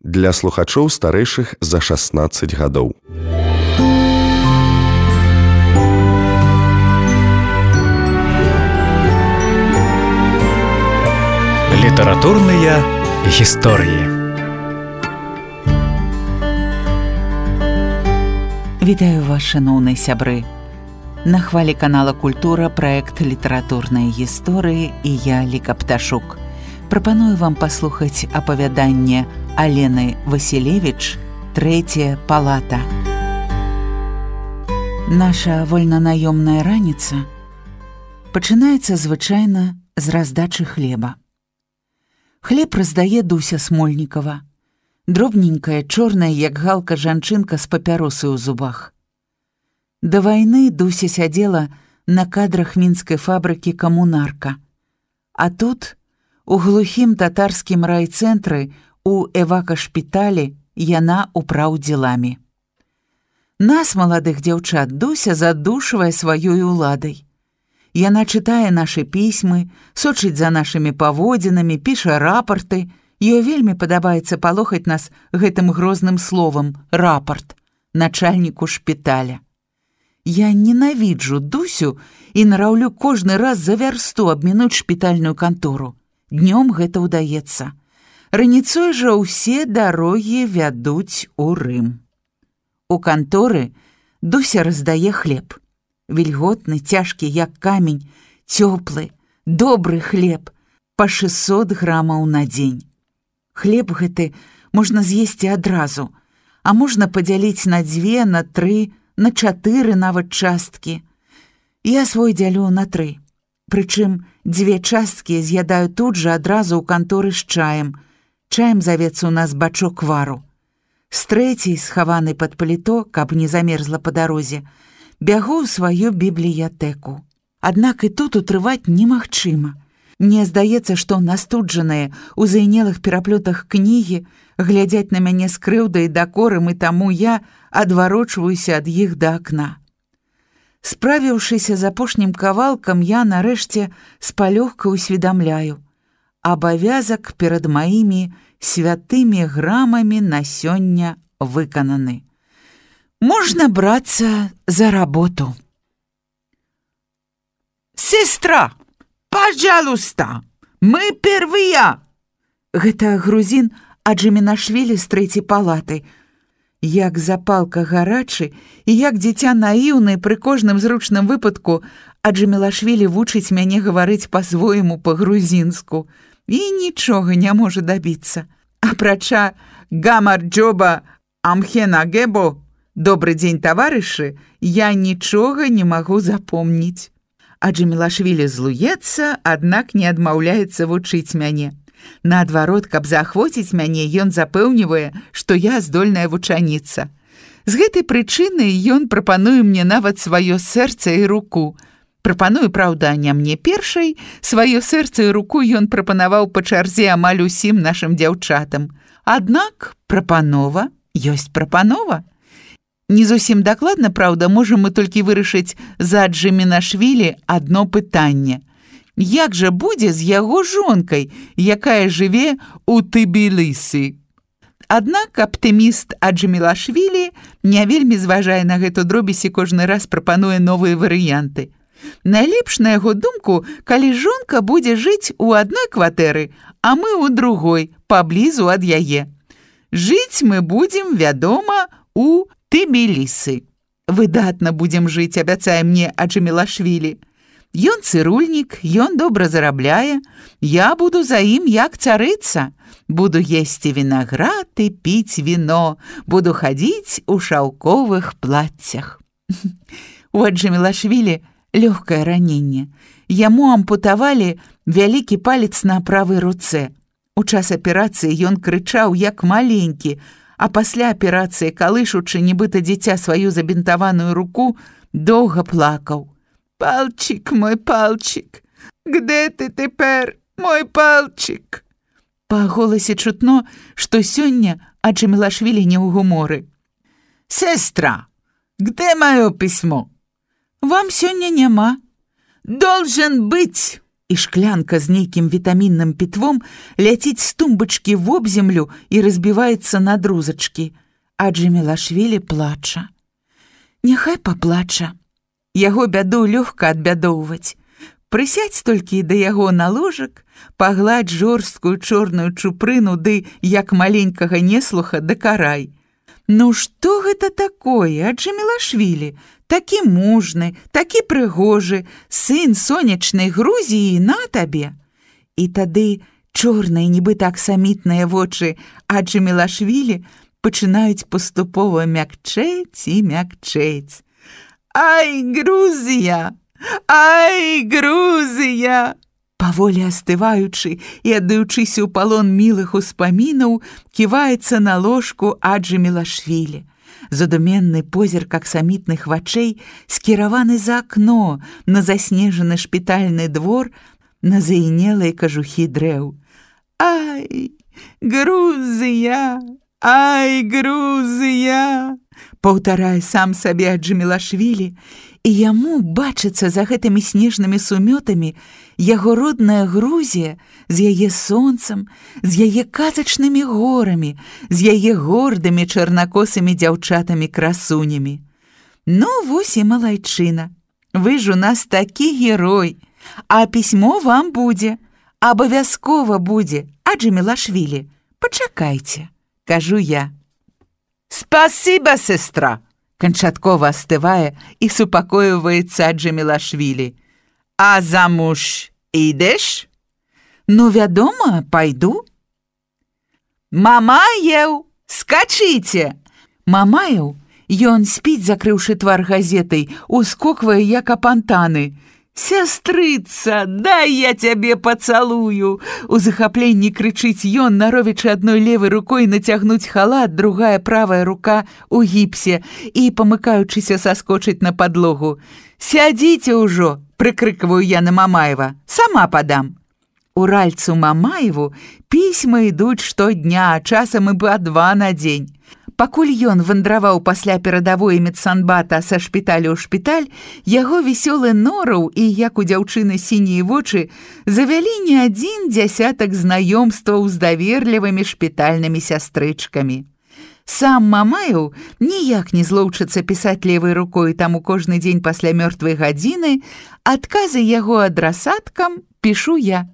для слухачоў старэйшых за 16 гадоў. Літаратурныя гісторыі. Вітаю вас, шаноўныя сябры. На хвалі канала «Культура» праект «Літаратурныя гісторыі» і я, Ліка Пташук. Прапаную вам паслухаць апавяданне Алены Васілевіч «Трэцяя палата». Наша вольнанаёмная раніца пачынаецца звычайна з раздачы хлеба. Хлеб раздае Дуся Смольнікава, дробненькая, чорная, як галка жанчынка з папяросай у зубах. Да вайны Дуся сядзела на кадрах мінскай фабрыкі «Камунарка», а тут, у глухім татарскім райцэнтры, у эвакашпіталі, яна ўпраўдзеламі. Нас, маладых дзяўчат, Дуся задушвае сваёй уладай. Яна чытае нашы пісьмы, сочыць за нашымі паводзінамі, піша рапарты. Ёй вельмі падабаецца палохаць нас гэтым грозным словам «рапарт» начальніку шпіталя. Я ненавіджу Дусю і нараўлю кожны раз за вярсту абмінуць шпітальную кантору. Днём гэта ўдаецца. Раніцой жа ўсе дарогі вядуць у Рым. У канторы Дуся раздае хлеб. Вільготны, цяжкі, як камень, цёплы, добры хлеб, па 600 грамаў на дзень. Хлеб гэты можна з'есці адразу, а можна падзяліць на 2, на 3, на 4 нават часткі. Я свой дзялю на 3. Прычым 2 часткі з'ядаю тут жа адразу ў канторы з чаем. Чаем завецца ў нас бачок вару. З 3-й, схаванай пад паліто, каб не замерзла па дарозе, бягу ў сваю бібліятэку. Аднак і тут утрываць немагчыма. Мне здаецца, што настуджаныя ў зайнелых пераплётах кнігі глядзяць на мяне з крыўдай і дакорам, і таму я адварочваюся ад іх да акна. Справіўшыся з апошнім кавалкам, я нарэшце з палёгкай усведамляю. Абавязак перад маімі святымі грамамі на сёння выкананы. Можно брацца за работу. «Сестра, пожалуйста, мы первыя!» Гэта грузін Аджиминашвили з 3-й палаты. Як запалка гарачы і як дзіця наіўнае пры кожным зручным выпадку Аджиминашвили вучыць мяне гаварыць па-свойму па-грузінску і нічога не можа дабіцца. Апрача «Гамар-джоба амхена-гебо» «Добрый дзень, таварышы», я нічога не магу запомніць. Аджиминашвили злуецца, аднак не адмаўляецца вучыць мяне. Наадварот, каб заахвоціць мяне, ён запэўнівае, што я здольная вучаніца. З гэтай прычыны ён прапануе мне нават сваё сэрца і руку. Прапануе, праўда, не мне першай, сваё сэрца і руку ён прапанаваў па чарзе амаль усім нашым дзяўчатам. Аднак прапанова ёсць прапанова. Не зусім дакладна, праўда, можам мы толькі вырашыць за Аджиминашвили адно пытанне. Як жа будзе з яго жонкай, якая жыве ў Тбілісі? Аднак аптыміст Аджиминашвили не вельмі зважае на гэту дробязь і кожны раз прапануе новыя варыянты. Найлепш, на яго думку, калі жонка будзе жыць у адной кватэры, а мы ў другой, паблізу ад яе. Жыць мы будзем, вядома, у Тбілісі. Выдатна будзем жыць, абяцае мне Аджиминашвили. Ён цырульнік, ён добра зарабляе, я буду за ім як царыца. Буду есці вінаград і піць віно, буду хадзіць у шаўковых плаццях. У Аджиминашвили лёгкае раненне. Яму ампутавалі вялікі палец на правай руцэ. У час аперацыі ён крычаў як маленькі, а пасля аперацыі, калышучы нібыта дзіця сваю забінтаваную руку, доўга плакаў. «Пальчик, мой пальчик, где ты тепер, мой пальчик?» Па голасе чутно, што сёння Аджиминашвили не ў гуморы. «Сестра, где маё пісьмо?» «Вам сёння няма». «Должен быть, і шклянка з нейкім вітамінным пітвом ляціць з тумбачкі вобземлю і разбіваецца на друзачкі. А Джамілашвілі плача. Няхай паплача. Яго бяду лёгка адбядоўваць. Прысядзь толькі да яго на ложак, пагладь жорсткую чорную чупрыну ды, як маленькага неслуха, дакарай. Ну што гэта такое, Джамілашвілі? Такі мужны, такі прыгожы, сын сонечнай Грузіі на табе. І тады чорныя, нібы так самітныя вочы Джамілашвілі пачынаюць паступова мякчэць і мякчэць. Ай, Грузія! Ай, Грузія! Паволі астываючы і аддаючыся ў палон мілых успамінаў, ківаецца на ложку Джамілашвілі. Задуменны позірк аксамітных вачэй скіраваны за акно на заснежаны шпітальны двор, на заінелыя кажухі дрэў. Ай, Грузія! Ай, Грузія! Паўтарае сам сабе Джамілашвілі, і яму бачыцца за гэтымі снежнымі сумётамі яго родная Грузія з яе сонцам, з яе казачнымі горамі, з яе гордымі чарнакосымі дзяўчатамі-красунямі. Ну, вось і малайчына. Вы ж у нас такі герой, а пісьмо вам будзе, абавязкова будзе, Джамілашвілі. Пачакайце, кажу я. Спасіба, сестра! Канчаткова астывае і супакойваецца Джамілашвілі. А замуж ідеш? Ну, вядома, пайду. Мамаеў, скачыце! Мамаеў, ён спіць, закрыўшы твар газетай, ускоквае, як апантаны. «Сястрыца, дай я цябе пацалую!» У захапленні крычыць ён, наровячы адной левай рукой нацягнуць халат, другая правая рука у гіпсе і, памыкаючыся, саскочыць на падлогу. «Сядзіце ўжо!» – прыкрыкваю я на Мамаева. «Сама падам!» Уральцу Мамаеву пісьма ідуць штодня, а часам і па 2 на дзень. Пакуль ён вандраваў пасля перадавой медсанбата са шпіталю ў шпіталь, яго весёлы нораў і, як у дзяўчыны сінія вочы, завялі не 1 дзясятак знаёмстваў з даверлівымі шпітальнымі сястрычкамі. Сам Мамаеў ніяк не злоўчыцца пісаць левай рукой, таму кожны дзень пасля мёртвай гадзіны адказы яго адрасаткам пішу я.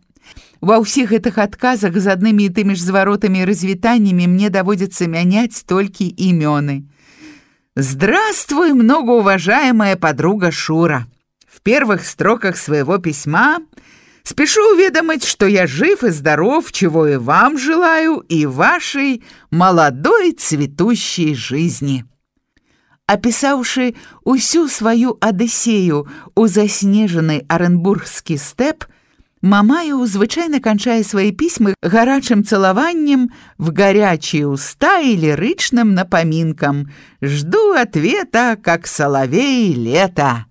Ва ўсіх гэтых адказах з аднымі і тымі ж зваротамі і развітаннямі мне даводзіцца мяняць толькі імёны. «Здравствуй, многоуважаемая подруга Шура! В первых строках своего письма спешу уведомить, что я жив и здоров, чего и вам желаю, и вашей молодой цветущей жизни». Описавши усю свою Одиссею у заснеженный Оренбургский степ, Мамаеў звычайна канчае свои письмы гарачым цалаваннем в горячие уста и лиричным напоминком «Жду ответа, как соловей лето».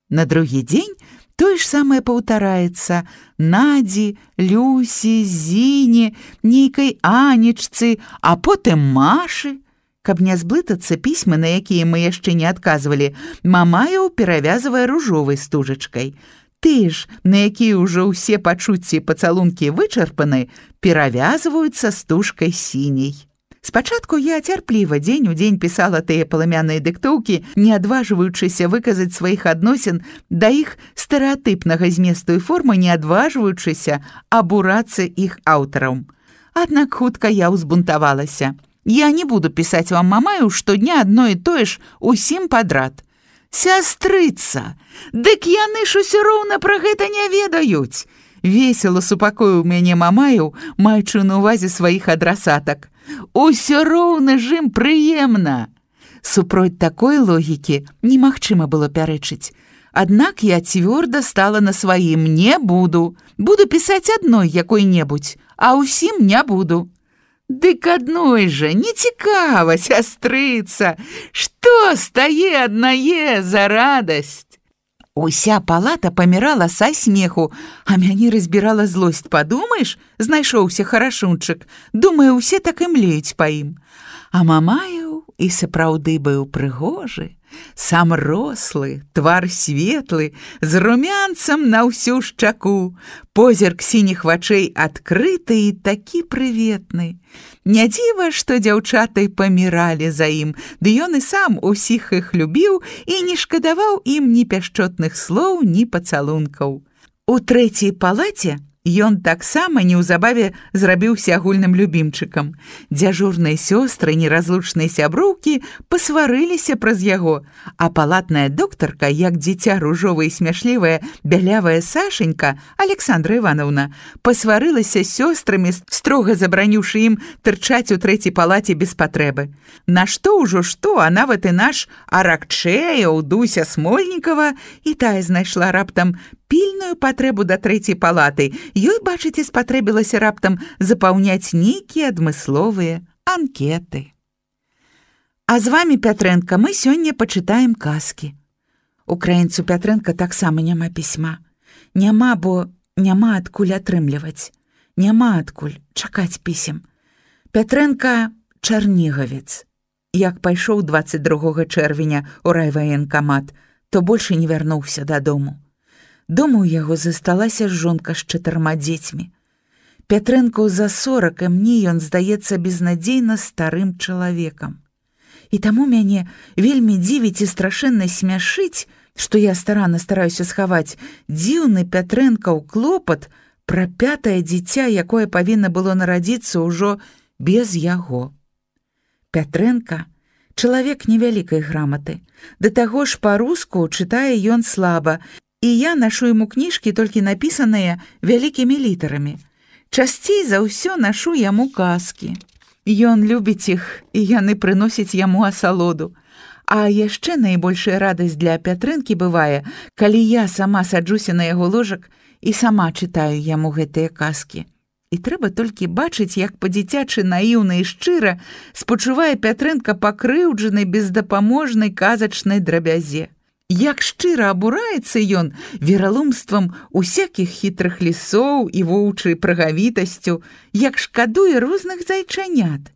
На другі дзень тое ж самае паўтараецца Надзі, Люсі, Зіне, нейкай Анечцы, а потым Машы. Каб не зблытацца пісьмы, на якія мы яшчэ не адказвалі, Мамаеў перавязвае ружовай стужачкай. Ты ж, на якія ўжо ўсе пачуцці і пацалункі вычарпаны, перавязваюцца стужкай сіняй. Спачатку я цярпліва дзень у дзень пісала тыя паламяныя дыктоўкі, не адважваючыся выказаць сваіх адносін да іх стэрэатыпнага зместу і формы, не адважваючыся абурацца іх аўтарам. Аднак хутка я ўзбунтавалася. Я не буду пісаць вам, Мамаеў, штодня адно і тое ж усім падрад. «Сястрыца, дык яны ж усё роўна пра гэта не ведаюць!» Весела супакоіў мяне Мамаеў, маючы на ўвазе сваіх адрасатак. «Усё роўна ж ім прыемна!» Супроць такой логікі немагчыма было пярэчыць. Аднак я цвёрда стала на сваім «не буду». Буду пісаць адной якой-небудзь, а ўсім не буду. «Дык адной жа, не цікава, сястрыца! Што стае аднае за радасць?» Уся палата памірала са смеху, а мяне разбірала злосць. Падумаеш, знайшоўся харашунчык. Думаю, усе так і млеюць па ім. А Мамаеў і сапраўды быў прыгожы, сам рослы, твар светлы, з румянцам на ўсю шчаку, позірк сініх вачэй адкрыты і такі прыветны. Не дзіва, што дзяўчаты паміралі за ім, ды ён і сам усіх іх любіў і не шкадаваў ім ні пяшчотных слоў, ні пацалункаў. У трэцяй палаце ён таксама неўзабаве зрабіўся агульным любімчыкам. Дзяжурныя сёстры, неразлучныя сяброўкі пасварыліся праз яго, а палатная доктарка, як дзіця ружовая і смяшлівая бялявая Сашенька, Александра Івановна, пасварылася з сёстрамі, строга забараніўшы ім тырчаць у трэцяй палаце без патрэбы. Нашто ўжо што, а нават і наш Аракчэяў, Дуся Смольнікава, і тая знайшла раптам пільную патрэбу да трэцяй палаты. Ёй, бачыце, спатрэбілася раптам запаўняць нейкія адмысловыя анкеты. А з вамі, Пятрэнка, мы сёння пачытаем казкі. Украінцу Пятрэнка таксама няма пісьма. Няма, бо няма адкуль атрымліваць. Няма адкуль чакаць пісем. Пятрэнка чарнігавец. Як пайшоў 22 чэрвеня ў райваенкамат, то больш не вярнуўся дадому. Дома ў яго засталася жонка з 4 дзецьмі. Пятрэнку за 40, і мне ён здаецца безнадзейна старым чалавекам. І таму мяне вельмі дзівіць і страшэнна смяшыць, што я старанна стараюся схаваць дзіўны Пятрэнкаў клопат пра 5-е дзіця, якое павінна было нарадзіцца ўжо без яго. Пятрэнка — чалавек невялікай граматы. Да таго ж па-руску чытае ён слаба, і я нашу яму кніжкі толькі напісаныя вялікімі літарамі. Часцей за ўсё нашу яму казкі. Ён любіць іх, і яны прыносяць яму асалоду. А яшчэ найбольшая радасць для Пятрэнкі бывае, калі я сама саджуся на яго ложак і сама чытаю яму гэтыя казкі. І трэба толькі бачыць, як па-дзіцячы наіўна і шчыра спачувае Пятрэнка пакрыўджанай бездапаможнай казачнай драбязе. Як шчыра абураецца ён вераломствам усякіх хітрых лісоў і воўчай прагавітасцю, як шкадуе розных зайчанят.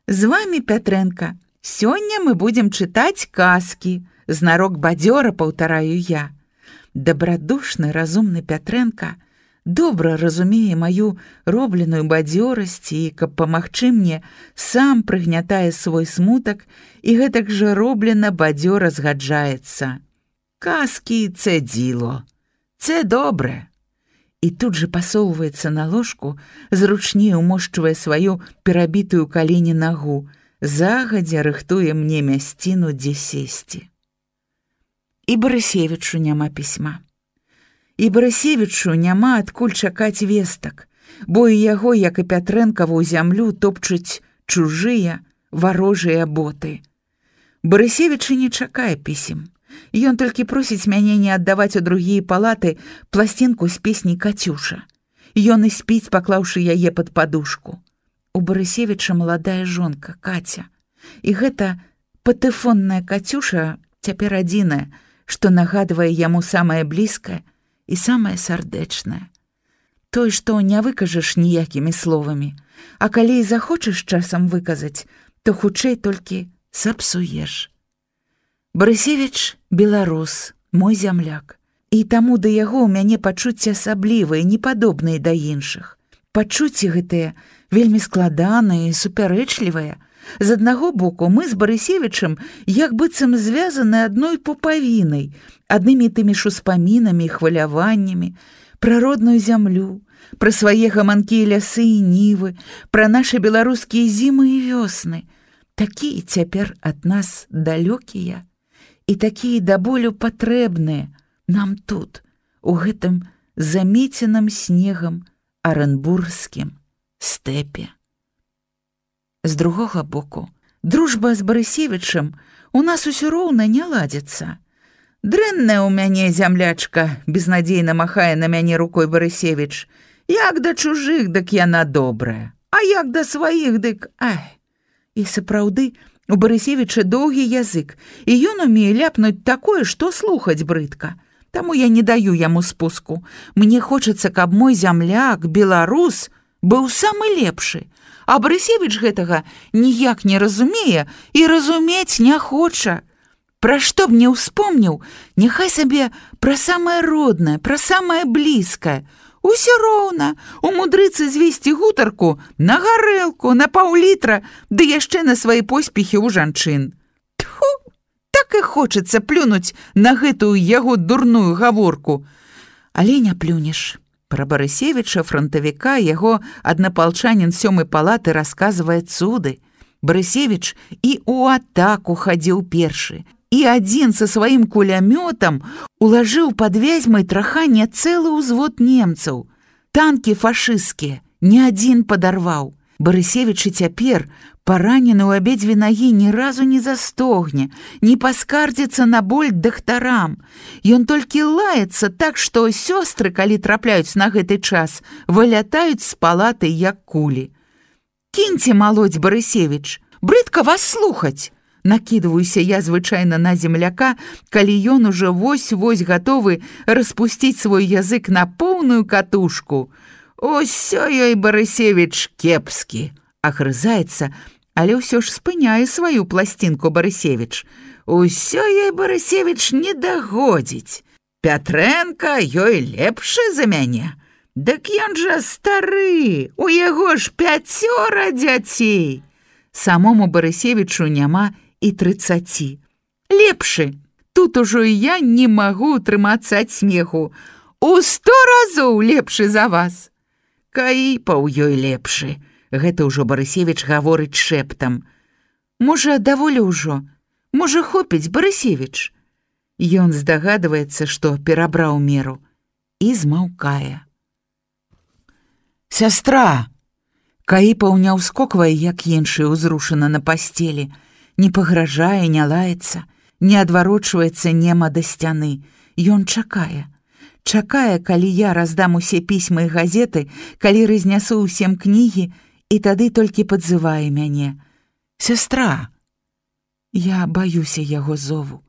З вамі, Пятрэнка, сёння мы будзем чытаць казкі, знарок бадзёра паўтараю я. Дабрадушны, разумны Пятрэнка добра разумее маю робленую бадзёрасць і, каб памагчы мне, сам прыгнятае свой смутак і гэтак жа роблена бадзёра згаджаецца. Казкі — це діло, це добре. І тут же пасоўваецца на ложку, зручней умошчвае сваю перабітую калені нагу, загадзя рыхтуе мне мясціну, дзе сесці. І Барысевічу няма пісьма. І Барысевічу няма адкуль чакаць вестак, бо і яго, як і Пятрэнкаву зямлю, топчуць чужыя варожыя боты. Барысевічы не чакае пісем. Ён толькі просіць мяне не аддаваць у другія палаты пласцінку з песняй «Кацюша». Ён і спіць, паклаўшы яе пад падушку. У Барысевіча маладая жонка, Каця. І гэта патэфонная Кацюша цяпер адзіная, што нагадвае яму самае блізкае і самае сардэчнае. Той, што не выкажаш ніякімі словамі, а калі і захочаш часам выказаць, то хутчэй толькі сапсуеш. Барысевіч — беларус, мой зямляк, і таму да яго ў мяне пачуцці асаблівыя, непадобныя да іншых. Пачуцці гэтыя вельмі складаныя і супярэчлівыя. З аднаго боку, мы з Барысевічам як быццам звязаны адной пупавінай, аднымі тымі ж успамінамі і хваляваннямі, пра родную зямлю, пра свае гаманкі і лясы і нівы, пра нашы беларускія зімы і вёсны, такія цяпер ад нас далёкія і такія да болю патрэбныя нам тут, у гэтым замеценым снегам арэнбургскім стэпе. З другога боку, дружба з Барысевічам у нас усё роўна не ладзіцца. Дрэнная ў мяне зямлячка, безнадзейна махае на мяне рукой Барысевіч. Як да чужых, дык яна добрая, а як да сваіх, дык ай. І сапраўды, у Барысевіча доўгі язык, і ён умее ляпнуць такое, што слухаць брыдка. Таму я не даю яму спуску. Мне хочацца, каб мой зямляк, беларус, быў самы лепшы, а Барысевіч гэтага ніяк не разумее і разумець не хоча. Пра што б не ўспомніў, няхай сабе пра самае роднае, пра самае блізкае. Усё роўна, умудрыцца звесці гутарку на гарэлку, на паўлітра, ды яшчэ на свае поспехі ў жанчын. Тьфу, так і хочацца плюнуць на гэтую яго дурную гаворку. Але не плюнеш. Пра Барысевіча, фронтавіка, яго аднапалчанін 7-й палаты расказвае цуды. Барысевіч і ў атаку хадзіў першы, і адзін са сваім кулямётам улажыў пад Вязьмай трахання цэлы ўзвод немцаў. Танкі фашысцкія ні адзін падарваў. Барысевіч і цяпер, паранены ў абедзве нагі, ні разу не застогне, не паскардзіцца на боль дактарам. Ён толькі лаецца так, што сёстры, калі трапляюць на гэты час, вылятаюць з палаты як кулі. «Кіньце малоць, Барысевіч, брыдка вас слухаць!» Накідваюся я звычайна на земляка, калі ён ужо вось-вось гатовы распусціць свой язык на поўную катушку. «Усё ёй, Барысевіч, кепскі!» Агрызаецца, але ўсё ж спыняе сваю пласцінку Барысевіч. «Усё ёй, Барысевіч, не дагодзіць. Пятрэнка ёй лепшы за мяне. Дык ён жа стары, у яго ж 5 дзяцей!» Самому Барысевічу няма і 30. Лепшы. Тут ужо і я не магу утрымацца ад смеху. У 100 разоў лепшы за вас. Каіпаў ёй лепшы. Гэта ўжо Барысевіч гаворыць шэптам. Можа, даволі ўжо? Можа, хопіць, Барысевіч? Ён здагадваецца, што перабраў меру. І змаўкае. «Сястра!» Каіпаў не ўскоквае, як іншы, узрушана на пасцелі. Не пагражае, не лаецца, не адварочваецца нема да сцяны. Ён чакае. Чакае, калі я раздам усе пісьмы і газеты, калі разнясу ўсім кнігі, і тады толькі падзывае мяне. «Сястра!» Я баюся яго зову.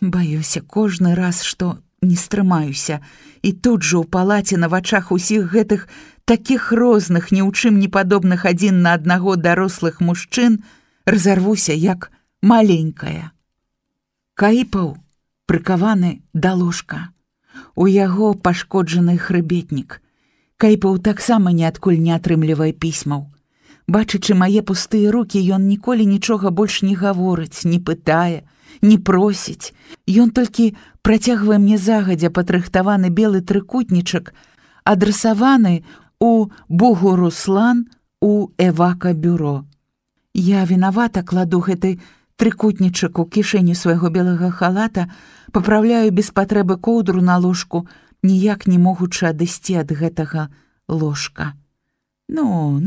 Баюся кожны раз, што не стрымаюся, і тут жа ў палаце на вачах усіх гэтых такіх розных, ні ў чым не падобных адзін на аднаго дарослых мужчын, разарвуся як маленькая. Каіпаў прыкаваны да ложка. У яго пашкоджаны хрыбетнік. Каіпаў таксама ніадкуль не атрымлівае пісьмаў. Бачачы мае пустыя рукі, ён ніколі нічога больш не гаворыць, не пытае, не просіць. Ён толькі працягвае мне загадзя падрыхтаваны белы трыкутнічак, адрасаваны у Бугуруслан у Эвака-бюро. Я вінавата кладу гэты трыкутнічак у кішэню свайго белага халата, папраўляю без патрэбы коўдру на ложку, ніяк не могучы адысці ад гэтага ложка. «Ну,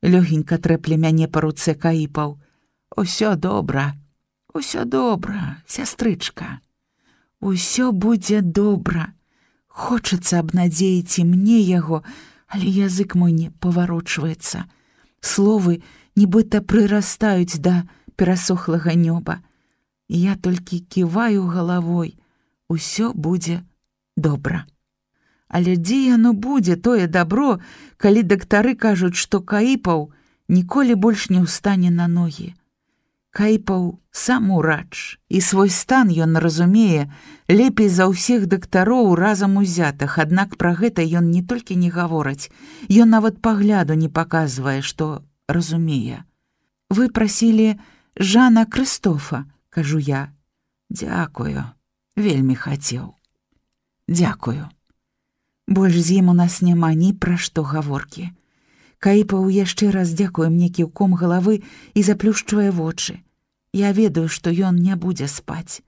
лёгенька трэпле мяне па руцэ Каіпаў. Усё добра, сястрычка. Усё будзе добра. Хочацца абнадзеіць і мне яго, але язык мой не паварочваецца. Словы нібыта прырастаюць да перасохлага нёба. Я толькі ківаю галавой. Усё будзе добра. Але дзе яно будзе, тое дабро, калі дактары кажуць, што Каіпаў ніколі больш не ўстане на ногі. Каіпаў сам урач, і свой стан ён разумее лепей за ўсіх дактароў разам узятых, аднак пра гэта ён не толькі не гаворыць, ён нават пагляду не паказвае, што разумее. «Вы прасілі Жана Крыстофа», кажу я. «Дзякую, вельмі хацеў. Дзякую. Больш з ім у нас няма ні пра што гаворкі». Каіпаў яшчэ раз дзякуе мне кіўком галавы і заплюшчвае вочы. Я ведаю, што ён не будзе спаць.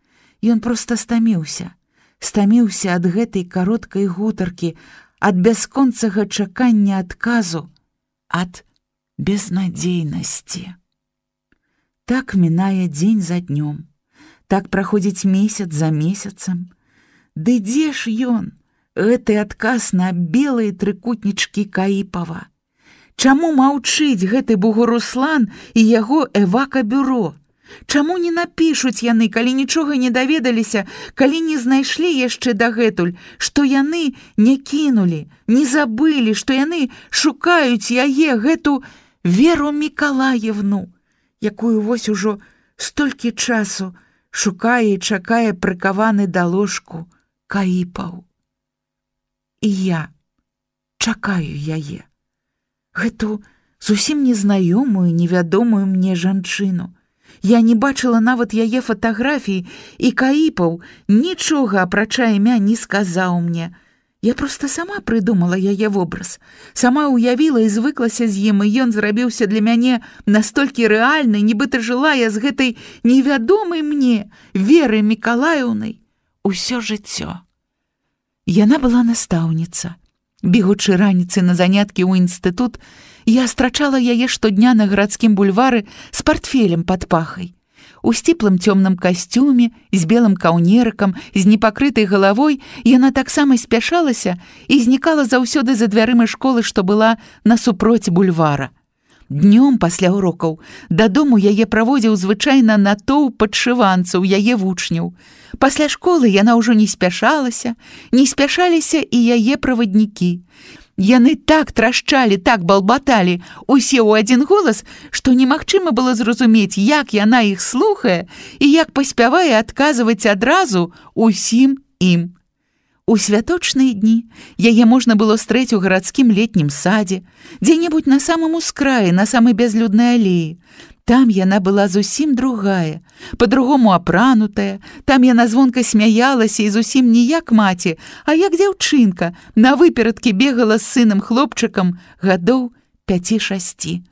Ён проста стаміўся. Стаміўся ад гэтай кароткай гутаркі, ад бясконцага чакання адказу, ад безнадзейнасці. Так мінае дзень за днём. Так праходзіць месяц за месяцам. Ды дзе ж ён, гэты адказ на белыя трыкутнічкі Каіпава? Чаму маўчыць гэты Бугуруслан і яго Эвака-бюро? Чаму не напішуць яны, калі нічога не даведаліся, калі не знайшлі яшчэ дагэтуль, што яны не кінулі, не забылі, што яны шукаюць яе, гэту Веру Мікалаевну, якую вось ужо столькі часу шукае і чакае прыкаваны да ложку Каіпаў. І я чакаю яе, гэту зусім незнаёмую, невядомую мне жанчыну. Я не бачыла нават яе фатаграфіі, і Каіпаў нічога апрача імя не сказаў мне. Я проста сама прыдумала яе вобраз, сама уявіла і звыклася з ім, і ён зрабіўся для мяне настолькі рэальны, нібыта жыла я з гэтай невядомай мне Веры Мікалаеўнай усё жыццё. Яна была настаўніца. Бегучы раніцы на заняткі ў інстытут, я страчала яе штодня на гарадскім бульвары з партфелем пад пахай. У сціплым цёмным касцюме, з белым каўнерыкам, з непакрытай галавой яна таксама спяшалася і знікала заўсёды за дзвярымі школы, што была насупроць бульвара. Днём пасля урокаў дадому яе праводзіў звычайна натоўп падшыванцаў, яе вучняў. Пасля школы яна ўжо не спяшалася, не спяшаліся і яе праваднікі. Яны так трашчалі, так балбаталі, усе ў адзін голас, што немагчыма было зразумець, як яна іх слухае і як паспявае адказваць адразу усім ім. У святочныя дні яе можна было стрэць у гарадскім летнім садзе, дзе-небудзь на самым ускраі, на самай бязлюднай алеі. Там яна была зусім другая, па-другому апранутая, там яна звонка смяялася і зусім не як маці, а як дзяўчынка, на выперадкі бегала з сынам-хлопчыкам гадоў 5-6.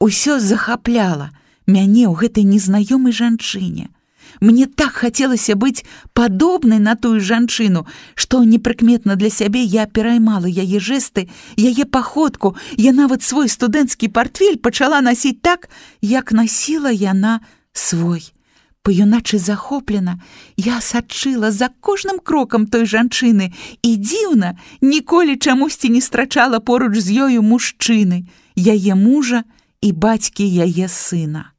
Усё захапляла мяне ў гэтай незнаёмай жанчыне. Мне так хацелася быць падобнай на тую жанчыну, што непрыкметна для сябе я пераймала яе жэсты, яе паходку, я нават свой студэнцкі партфель пачала насіць так, як насіла яна свой. Па-юначы захоплена, я сачыла за кожным крокам той жанчыны і дзіўна, ніколі чамусьці не страчала поруч з ёю мужчыны, яе мужа і бацькі яе сына.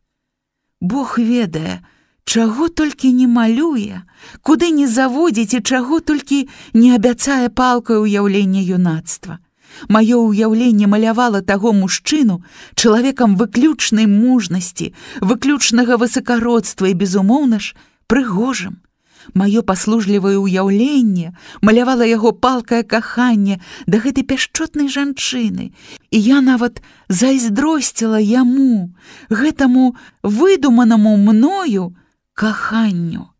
Бог ведае, чаго толькі не малюе, куды не заводзіць і чаго толькі не абяцае палкай уяўлення юнацтва. Маё ўяўленне малявала таго мужчыну чалавекам выключнай мужнасці, выключнага высакародства і, безумоўна ж, прыгожым. Маё паслужлівае ўяўленне малявала яго палкае каханне да гэтай пяшчотнай жанчыны, і я нават зайздросціла яму, гэтаму выдуманаму мною каханню.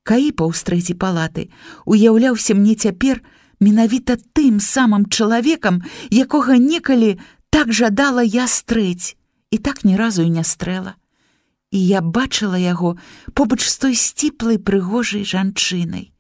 Каіпаў з 3-й палаты уяўляўся мне цяпер менавіта тым самым чалавекам, якога некалі так жадала я стрэць, і так ні разу і не стрэла. І я бачыла яго побач з той сціплай прыгожай жанчынай.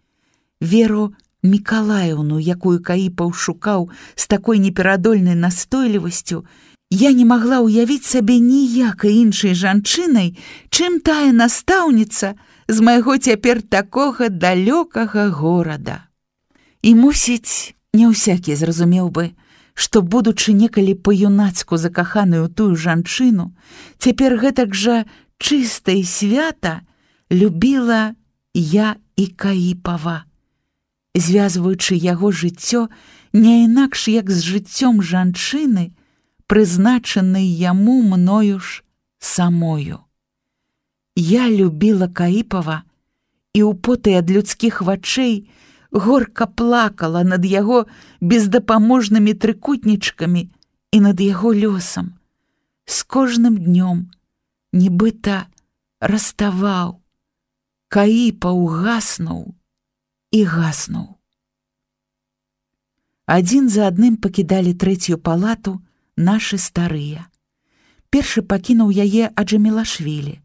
Веру Мікалаеўну, якую Каіпаў шукаў з такой неперадольнай настойлівасцю, я не магла ўявіць сабе ніякай іншай жанчынай, чым тая настаўніца з майго цяпер такога далёкага горада. І, мусіць, не ўсякі зразумеў бы, што, будучы некалі па-юнацку закаханую тую жанчыну, цяпер гэтак жа чыста і свята любіла я і Каіпава, звязваючы яго жыццё не інакш як з жыццём жанчыны, прызначанай яму мною ж самою. Я любіла Каіпава і ў поты ад людскіх вачэй горка плакала над яго бездапаможнымі трыкутнічкамі і над яго лёсам. З кожным днём нібыта раставаў, Каіпаў гаснуў і гаснуў. Адзін за адным пакідалі 3-ю палату нашы старыя. Першы пакінуў яе Аджамілашвілі.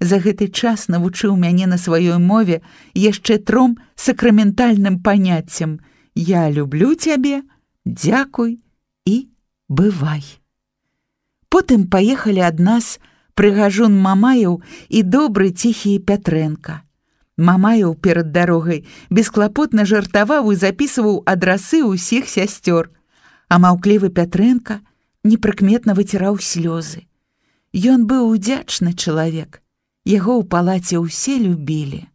За гэты час навучыў мяне на сваёй мове яшчэ 3 сакраментальным паняццям: «Я люблю цябе», «Дзякуй» і «Бывай». Потым паехалі ад нас прыгажун Мамаяў і добры ціхі Пятрэнка. Мамаяў перад дарогай бесклапотна жартаваў і запісваў адрасы ўсіх сясцёр, а маўклівы Пятрэнка непрыкметна выціраў слёзы. Ён быў удзячны чалавек, Яго ў палаце ўсе любілі.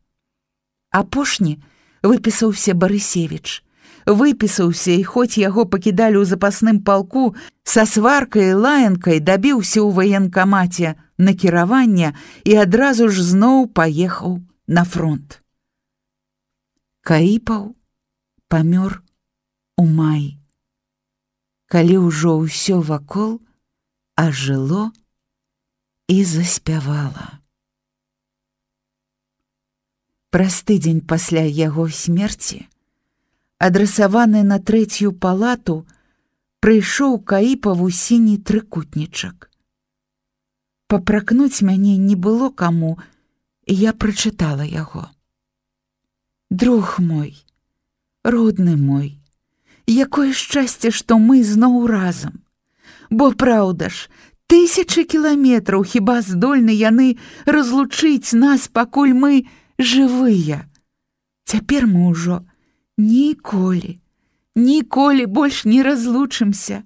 Апошні выпісаўся Барысевіч. Выпісаўся, і хоць яго пакідалі ў запасным палку, са сваркай і лаянкай дабіўся ў ваенкамаце накіравання і адразу ж зноў паехаў на фронт. Каіпаў памёр у маі, калі ўжо ўсё вакол ажыло і заспявала. Праз тыдзень пасля яго смерці, адрасаваны на 3-ю палату, прыйшоў Каіпаву сіні трыкутнічак. Папракнуць мяне не было каму, і я прачытала яго. Друг мой, родны мой, якое шчасце, што мы зноў разам. Бо праўда ж, 1000 кіламетраў хіба здольны яны разлучыць нас, пакуль мы жывыя. Цяпер мы ўжо ніколі больш не разлучымся.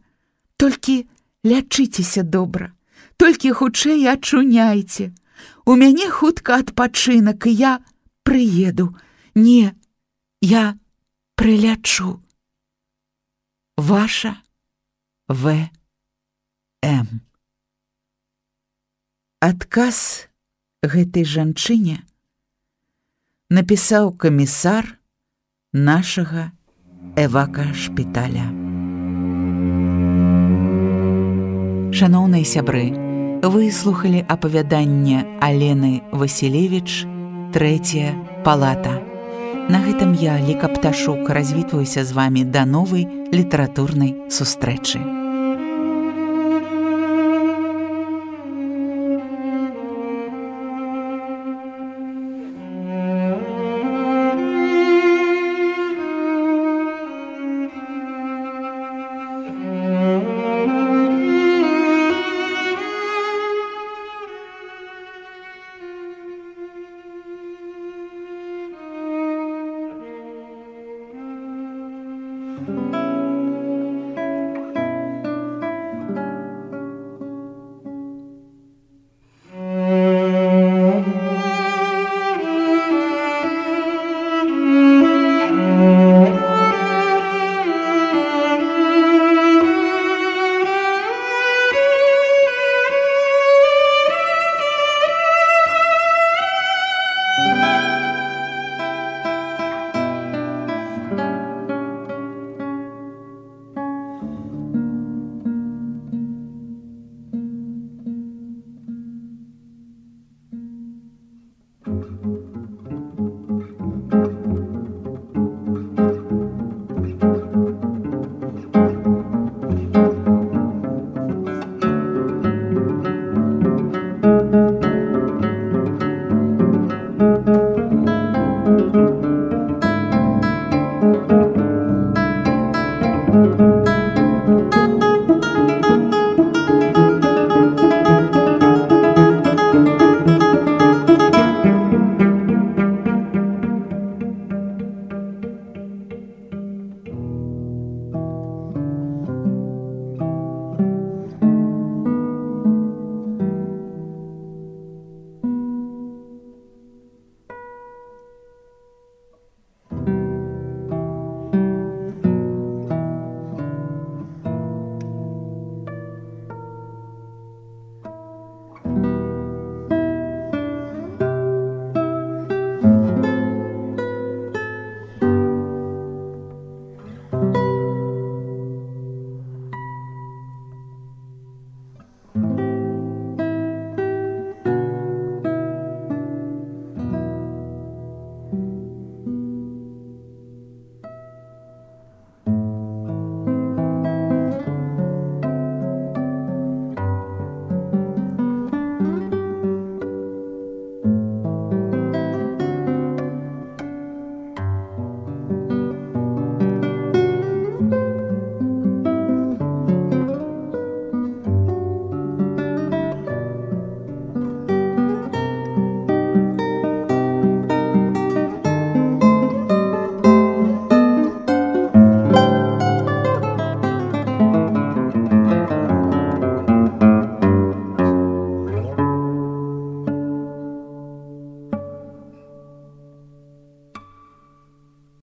Толькі лячыцеся добра, толькі хутчэй ачуняйце. У мяне хутка адпачынак, і я прыеду. Не, я прылячу. Ваша В.М. Адказ гэтай жанчыне напісаў камісар нашага эвакашпіталя. Шаноўныя сябры, вы слухалі апавяданне Алены Васілевіч «Трэцяя палата». На гэтым я, Ліка Пташук, развітваюся з вамі да новай літаратурнай сустрэчы.